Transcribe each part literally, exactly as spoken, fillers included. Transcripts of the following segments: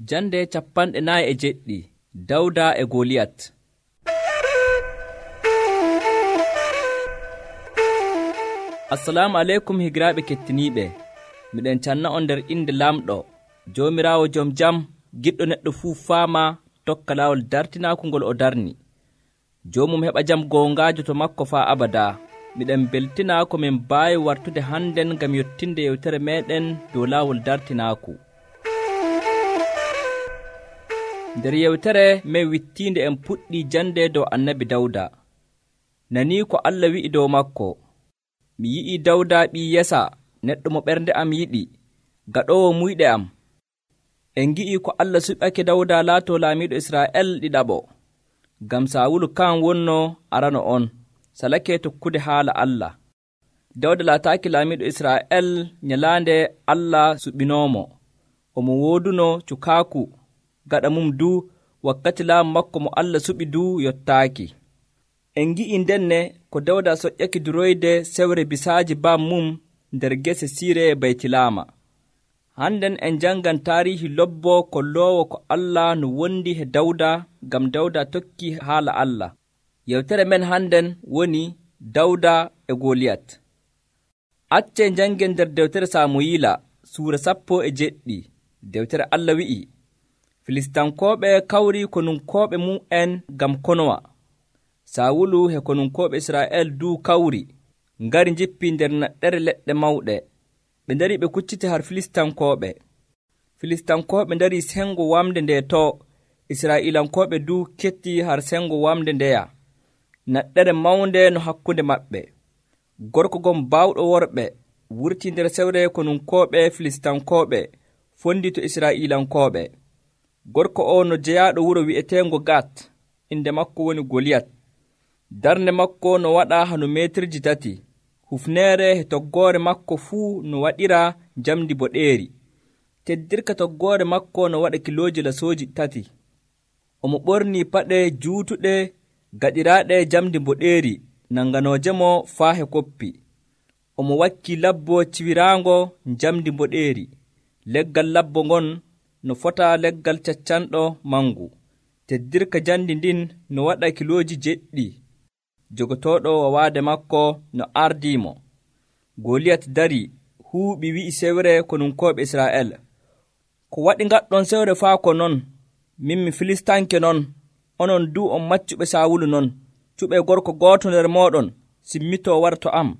Jande capanɗe nayi e jeɗɗi. Dawda e Goliyat. Assalamu aleykum higiraaɓe kettiniiɓe. Miɗen canna on nder inde lamɗo Joomiraawo jom jam, giɗɗo neɗɗo fuu faama tokka laawol dartinaaku ngol o darni. Joomum heɓa jam goongaajo to makko faa abadaa. Miɗen beltinaa ko min mbaawi wartude hannden ngam yottinde yewtere meeɗen dow laawol dartinaaku. Nder yewtere men wittiinde en puɗɗii jande dow annabi Dawda. Nanii ko Allah wi'i dow makko: mi yi'ii Dawda ɓii Yesa, neɗɗo mo ɓernde am yiɗi, gaɗoowo muyɗe am. En ngi'ii ko Allah suɓake Dawda laatoo laamiiɗo Israa'el ɗiɗaɓo. Ngam Saawulu kan wonnoo arano on, salake tokkude haala Allah. Dawda laataaki laamiiɗo Israa'el nyalaande Allah suɓinoomo. Omo wooduno cukaaku gaɗa mum duu wakkati laamu makko mo Allah suɓi duu yottaaki. En ngi'ii ndenne ko Dawda soƴƴaki duroyde sewre bisaaji bam mum nder gese siire Baytilaama. Hannden en janngan taarihi lobbo kolloowo ko Allah no wondi he Dawda ngam Dawda tokki haala Allah. Yewtere men hannden woni Dawda e Goliyat. Accee njanngen nder dewtere Saamuyiila suura sappo e jeɗɗi. Dewtere Allah wi'i: Filistankooɓe kawrii konunkooɓe mu'en ngam konowa. Saawulu he konunkooɓe Israa'el duu kawri, ngari njippi nder naɗɗere leɗɗe mawɗe. Ɓe ndarii ɓe kucciti har Filistankooɓe. Filistankooɓe ndarii sengo wamde nde to, Israa'iilankooɓe duu kettii har sengo wamde ndeya. Naɗɗere mawnde no hakkunde maɓɓe. Gorko gon baawɗo worɓe wurtii nder sewre konunkooɓe Filistankooɓe fondi to Israa'iilankooɓe. Gorko o no jeyaaɗo wuro wi'eteengo Gat, inde makko woni Goliyat. Darnde makko no waɗa hano meetirji tati. Hufneere he toggoore makko fuu no waɗira njamdi boɗeeri. Teddirka toggoore makko no waɗa kilooji lasooji tati. Omo ɓornii paɗe juutuɗe gaɗiraaɗe njamdi boɗeeri nanganoojemo faa he koppi. Omo wakkii labbo ciwiraango njamdi boɗeeri. Leggal labbo ngon no fota leggal caccanɗo mangu. Teddirka jandi ndin no waɗa kilooji jeɗɗi. Jogotooɗo wawaade makko no ardiimo. Goliyat darii huuɓi wi'i sewre konunkooɓe Israa'el: ko waɗi ngaɗɗon sewre faa ko non? Min mi Filistanke non, onon duu on maccuɓe Saawulu non. Cuɓee gorko gooto nder mooɗon simmitoo wara to am.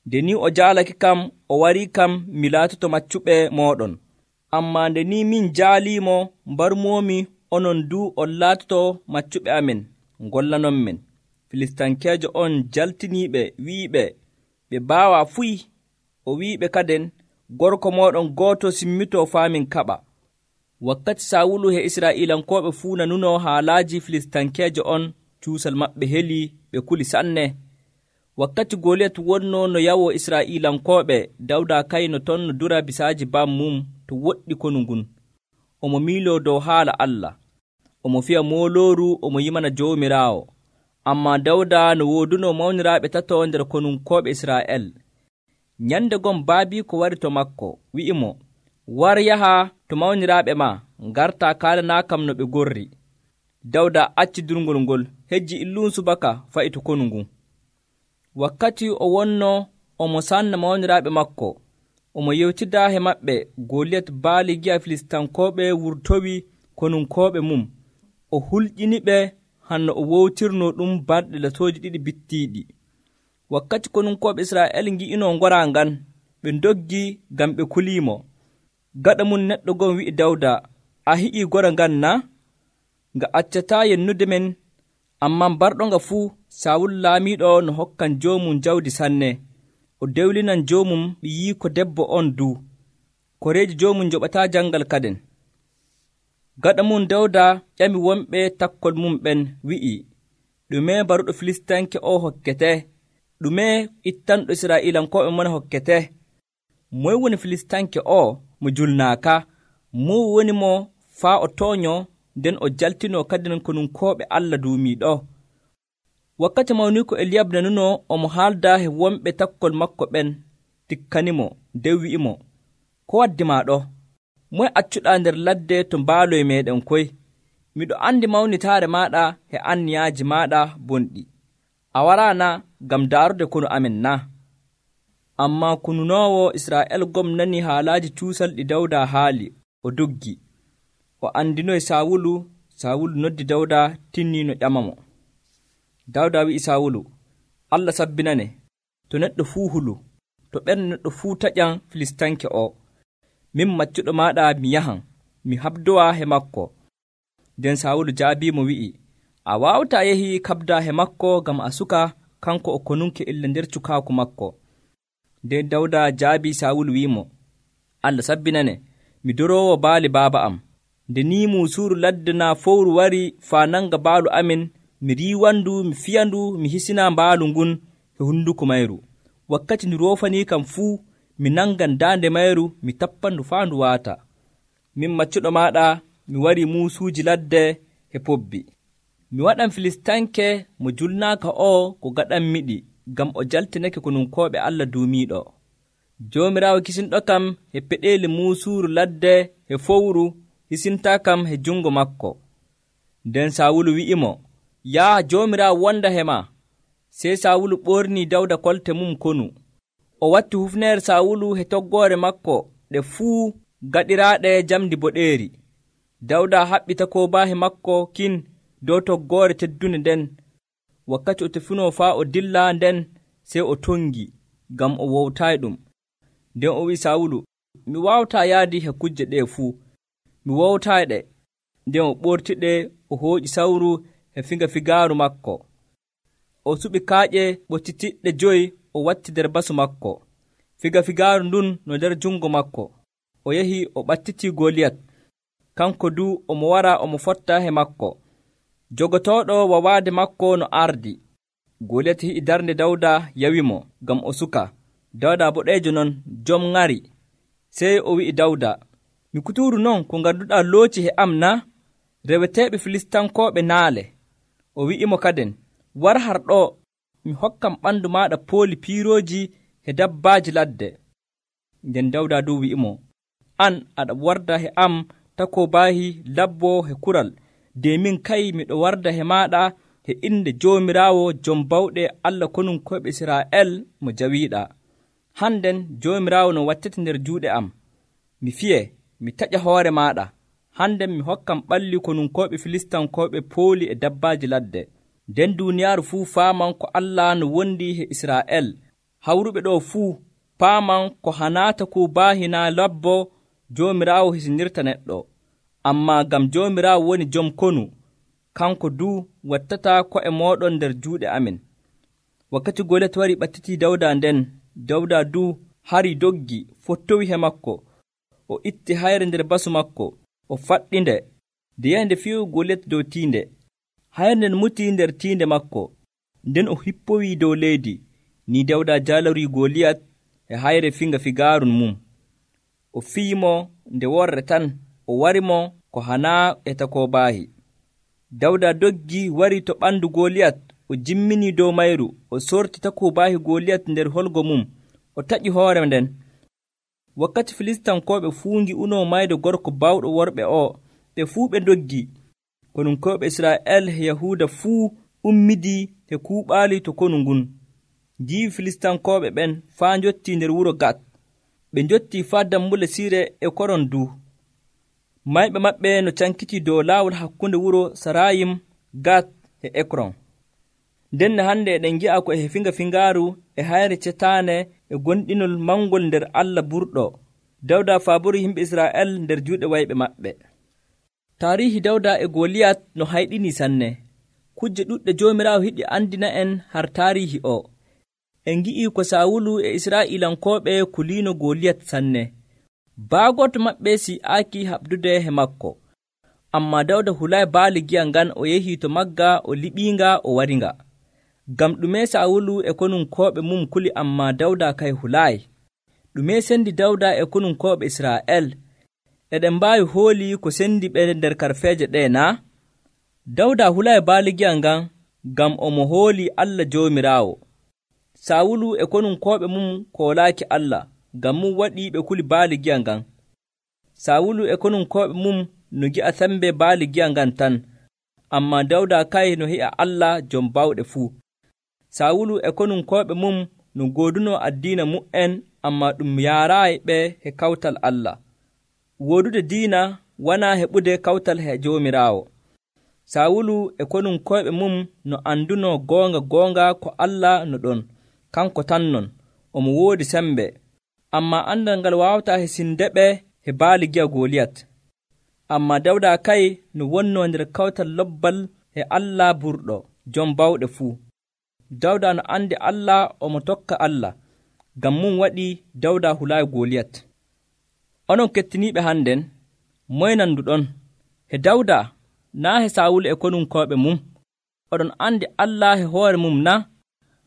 Nde ni o jaalake kam, o warii kam mi laatoto maccuɓe mooɗon. Ammaa nde ni min jaaliimo mbarmoomi, onon duu on laatoto maccuɓe amen, ngollanon men. Filistankeejo on jaltiniiɓe wi'iɓe ɓe baawaa fuy. O wi'iɓe kaden, gorko mooɗon gooto simmitoo faa min kaɓa. Wakkati Saawulu he Israa'iilankooɓe fuu nanunoo haalaaji Filistankeejo on, cuusal maɓɓe helii, ɓe kuli sanne. Wakkati Goliyat wonnoo no yawoo Israa'iilankooɓe, Dawda kayno ton no dura bisaaji bam mum to woɗɗi konu ngun. Omo miiloo dow haala Allah. Omo fiya moolooru, omo yimana Joomiraawo. Ammaa Dawda no woodunoo mawniraaɓe tato nder konunkooɓe Israa'el. Nyande gon baabiiko wari to makko, wi'imo: war yaha to mawniraaɓe maa, ngartaa kaalanaakam no ɓe gorri. Dawda acci durngol ngol, hejji illuun subaka fa'i to konu ngun. Wakkati o wonnoo omo sanna mawniraaɓe makko, omo yewtidaa he maɓɓe, Goliyat baali gi'a Filistankooɓe wurtowi konunkooɓe mum. O hulƴiniɓe hanno o wowtirnoo ɗum balɗe latooji ɗiɗi bittiiɗi. Wakkati konunkooɓe Israa'el ngi'inoo ngora ngan, ɓe ndoggii ngam ɓe kuliimo. Gaɗa mum neɗɗo gon wi'i Dawda: a hi'ii gora ngan na? Nga accataa yennude men, ammaa mbarɗo nga fuu. Saawulu laamiiɗo no hokkan joomum jawdi sanne. O dewlinan joomum ɓiyiiko debbo on duu. Koreeji joomum njoɓataa jangal kaden. Gaɗa mum Dawda ƴami wonɓe takkol mum ɓen wi'i: ɗume baruɗo Filistanke o hokkete? Ɗume ittanɗo Israa'iilankooɓe mon hokkete? Moy woni Filistanke o mo julnaaka? Mo woni mo faa o tooño nden o jaltinoo kadin konunkooɓe Allah duumiiɗo? Wakkati mawniiko Eliyab nanunoo omo haalda he wonɓe takkol makko ɓen, tikkanimo, nden wi'imo: ko waddi maa ɗo? moye accuɗaa nder ladde to mbaaloy meeɗen koy? Miɗo andi mawnitaare maaɗa e anniyaaji maaɗa bonɗi. A waraana ngam daarude kono amen na? Ammaa kununoowo Israa'el gom nani haalaaji cuusal ɗi Dawda haali, o doggi. O andinoy Saawulu. Saawulu noddi Dawda tinniino ƴamamo. Dawda wi'i Saawulu, Allah sabbinane, to neɗɗo fuu hulu, to ɓernde neɗɗo fuu taƴan Filistanke o. Min maccuɗo maaɗa mi yahan, mi habdowa he makko. Nden Saawulu jaabiimo wi'i, a waawataa yehi kabda he makko ngam a suka kanko o konunke illa nder cukaaku makko. Nden Dawda jaabii Saawulu wi'imo, Allah sabbinane, mi doroowo baali baaba am. Nde ni muusuuru ladde naa fowru wari faa nanga baalu amin, mi riiwandu, mi fiyandu, mi hisina mbaalu ngun e hunduko mayru. Wakkati ndu roofanii kam fuu, mi nangan daande mayru, mi tappandu faa ndu waata. Min maccuɗo maaɗa, mi wari muusuuji ladde e pobbi. Mi waɗan Filistanke mo julnaaka o ko gaɗanmiɗi, ngam o jaltinake konunkooɓe Allah duumiiɗo. Joomiraawo kisinɗo kam e peɗeeli muusuuru ladde e fowru, hisintaa kam he jungo makko. Nden Saawulu wi'imo, yaa Joomiraawo wonda he ma. Sey Saawulu ɓornii Dawda kolte mum konu. O watti hufneere Saawulu he toggoore makko ɗe fuu gaɗiraaɗe jamdi boɗeeri. Dawda haɓɓi takobaahe makko kin dow toggoore teddunde nden. Wakkati o tefunoo faa o dilla nden, sey o tongi, ngam o wowtaayi ɗum. Nden o wi'i Saawulu, mi waawataa yaadi he kujje ɗee fuu, mi wowtaayi ɗe. Nden o ɓortiɗe, o hooƴi sawru e figa figaaru makko. O suɓi kaaƴe ɓottitiɗɗe joyi, o watti nder basu makko. Figa figaaru ndun no nder jungo makko. O yehi o ɓattitii Goliyat. Kanko du omo wara omo fotta he makko. Jogotooɗo wawaade makko no ardi. Goliyat hi'i darnde Dawda yawimo, ngam o suka. Dawda boɗeejo non, jom ŋari. Sey o wi'i Dawda, mi kuturu non ko nganduɗaa looci he am na? Reweteeɓe Filistankooɓe naale. O wi'imo kaden, war har ɗo, mi hokkam ɓandu maaɗa pooli piirooji e dabbaaji ladde. Nden Dawda du wi'imo, an aɗa warda he am takobaahi labbo he kural, de min kay miɗo warda he maaɗa he inde Joomiraawo jom bawɗe Allah konunkoyɓe Israa'el mo jawiiɗaa. Hannden Joomiraawo no wattete nder juuɗe am. Mi fiye, mi taƴa hoore maaɗa. Hannden mi hokkam ɓalli konunkoyɓe Filistankooɓe pooli e dabbaaji ladde. Nden duuniyaaru fuu faaman ko Allah no wondi he Israa'el. Hawruɓe ɗo fuu paaman ko hanaata ku baahinaa labbo Joomiraawo hisinirta neɗɗo. Ammaa ngam Joomiraawo woni jom konu, kanko duu wattataa ko'e mooɗon nder juuɗe amin. Wakkati Goliyat wari ɓattitii Dawda nden, Dawda duu hari doggi, fottowi he makko. O itti hayre nder basu makko, o faɗɗinde, nde yahde fiyu Goliyat dow tiinde. Hayre nden mutii nder tiinde makko, nden o hippowii dow leydi. Ni Dawda jaalorii Goliyat e hayre finga figaaru mum. O fiyimo nde worre tan, o warimo ko hanaa e takobaahi. Dawda doggi wari to ɓandu Goliyat, o jimminii dow mayru, o sorti takobaahi Goliyat nder holgo mum, o taƴi hoore nden. Wakkati Filistankooɓe fuu ngi'unoo mayde gorko bawɗo worɓe o, ɓe fuu ɓe ndoggi. Konunkoyɓe Israa'el e Yahuuda fuu ummidii e kuuɓaali to konu ngun. Njiiwi Filistankooɓe ɓen faa njottii nder wuro Gat. Ɓe njottii faa dammule Siire e koron du. Mayɓe maɓɓe no cankitii dow laawol hakkunde wuro Sarayim, Gat e Ekron. Nden hande eɗen ngi'a ko e finga fingaaru e hayre cetaane e gonɗinol mangol nder Allah burɗo. Dawda faabori yimɓe Israa'el nder juuɗe wayɓe maɓɓe. Taarihi Dawda e Goliyat no hayɗini sanne. Kujje ɗuɗɗe Joomiraawo yiɗi andina en har taarihi o. En ngi'ii ko Saawulu e Israa'ilankooɓe kuliino Goliyat sanne. Baagoto maɓɓe si'aaki haɓdude he makko. Ammaa Dawda hulaayi baali giya ngan, o yehii to magga, o liɓiinga, o waringa. Ngam ɗume Saawulu e konunkooɓe mum kuli, ammaa Dawda kay hulaayi? Ɗume sendi Dawda e konunkooɓe Israa'el? Eɗen mbaawi hooli ko sendi ɓe nder karfeeje ɗee naa? Dawda hulaayi baali giya ngan, ngam omo hooli Allah Joomiraawo. Saawulu e konunkooɓe mum koolaaki Allah, ngam mum waɗi ɓe kuli baali giya ngan. Sawulu e konum koɓe mum no gi'a sembe baali gi'a ngan tan, ammaa Dawda kay no hi'a Allah jom bawɗe fuu. Sawulu e konum koɓe mum no goodunoo addiina mu'en, ammaa ɗum yaaraayi ɓe he kawtal Allah. Woodude diina wanaa heɓude kawtal he Joomiraawo. Sawulu e konum koyɓe mum no andunoo goonga goonga ko Allah no ɗon, kanko tan non, omo woodi sembe, ammaa andal ngal waawataa hesinde-ɓe he baali gi'a Goliyat. Ammaa Dawda kay no wonnoo nder kawtal lobbal he Allah burɗo, jom bawɗe fuu. Dawda no andi Allah, omo tokka Allah, ngam mum waɗi Dawda hulaayi Goliyat. Onon kettiniiɓe hannden, moye nanduɗon? He Dawda naa he Sawulu e konum koyɓe mum? Oɗon andi Allah he hoore mum na?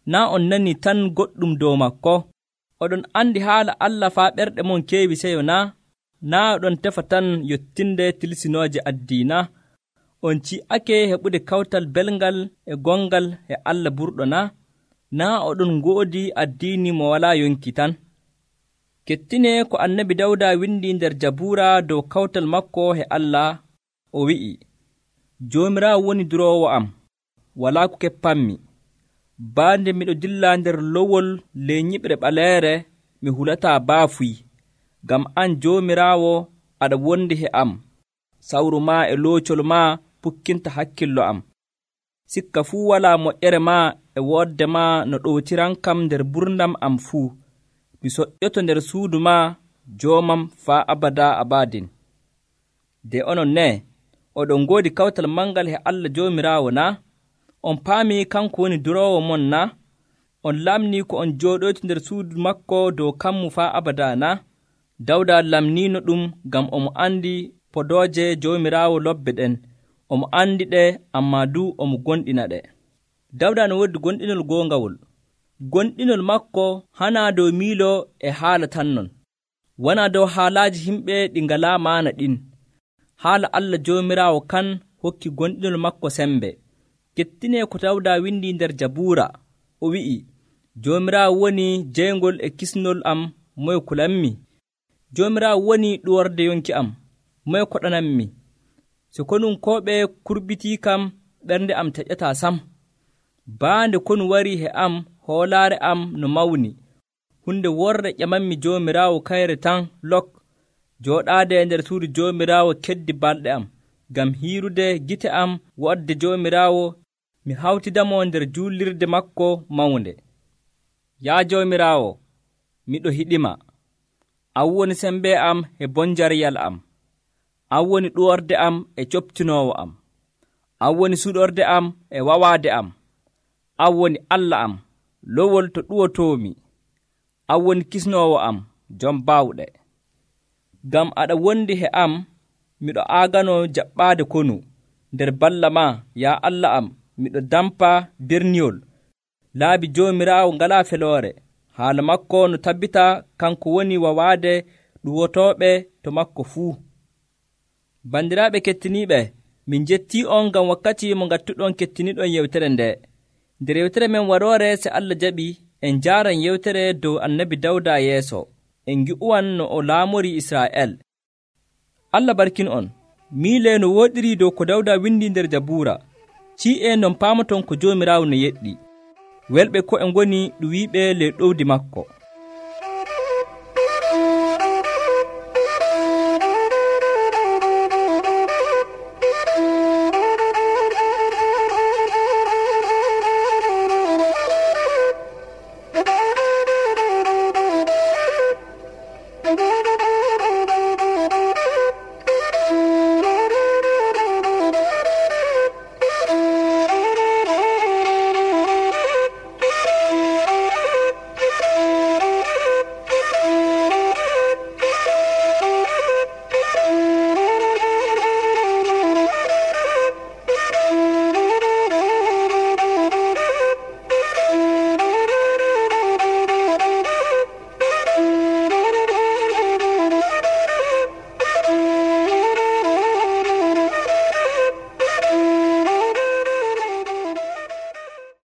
Naa on nanii tan goɗɗum dow makko? Oɗon andi haala Allah faa ɓerɗe mon keewi seyo na? Naa oɗon tefa tan yottinde tilsinooje addiina? On ci'ake heɓude kawtal belngal e gongal e Allah burɗo na? Naa oɗon ngoodi addiini mo walaa yonki tan? Kettinee ko annabi Dawda windi nder Jabuura dow kawtal makko he Allah, o wi'i, Joomiraawo woni duroowo am, walaa ko keppanmi. Baande miɗo dilla nder lowol ley nyiɓre ɓaleere, mi hulataa baafuy, ngam an Joomiraawo aɗa wondi he am. Sawru maa e loocol maa pukkinta hakkillo am. Sikka fuu walaa moƴƴere maa e woodde maa no ɗowtiran kam nder ɓurndam am fuu. Mi soƴƴoto nder suudu maa, joomam faa abada abadin. De onon ne, oɗon ngoodi kawtal mangal he Allah Joomiraawo na? On paamii kanko woni duroowo mon na? On lamnii ko on jooɗoyti nder suudu makko dow kammu faa abada na? Dawda lamniino ɗum ngam omo andi podooje Joomiraawo lobbe ɗen. Omo andi ɗe, ammaa du omo gonɗina ɗe. Dawda no woodi gonɗinol goongawol. Gonɗinol makko hanaa dow miilo e haala tan non, wonaa dow haalaaji himɓe ɗi ngalaa maana ɗin. Haala Allah Joomiraawo kan hokki gonɗinol makko sembe. Kettinee ko Dawda windi nder Jabuura, o wi'i, Joomiraawo woni jeygol e kisnol am, moye kulanmi? Joomiraawo woni ɗuworde yonki am, moye koɗanammi? So konum koɓe kurbitii kam, ɓernde am taƴataa sam. Baande konu warii he am, hoolaare am no mawni. Hunde worre ƴamanmi Joomiraawo kayre tan lok. Jooɗaade e nder suudu Joomiraawo keddi balɗe am, ngam hiirude gite am woɗde Joomiraawo, mi hawtidamo nder juulirde makko mawnde. Yaa Joomiraawo, miɗo hiɗima. An woni sembe am e bonjaryal am. An woni ɗuworde am e coptinoowo am. An woni suɗorde am e wawaade am. An woni Allah am, lowol to ɗuwotoomi. An woni kisnoowo am, jom baawɗe. Ngam aɗa wondi he am, miɗo aaganoo jaɓɓaade konu. Nder balla maa, yaa Allah am, miɗo dampa birniyol. Laabi Joomiraawo ngalaa feloore. Haala makko no tabbita kanko woni wawaade ɗuwotooɓe to makko fuu. Bandiraaɓe kettiniiɓe, min jettii on ngam wakkati mo ngattuɗon kettiniɗon yewtere nde. Nder yewtere men waroore, se Allah jaɓi, en njaaran yewtere dow annabi Dawda yeeso. En ngi'uwan no o laamori Israa'el. Allah barkin on. Miile no wooɗiri dow ko Dawda windi nder Jabuura. Ci'e non paamaton ko Joomiraawo no yeɗɗi. Welɓe ko e ngoni ɗum wiiɓe ley ɗowdi makko.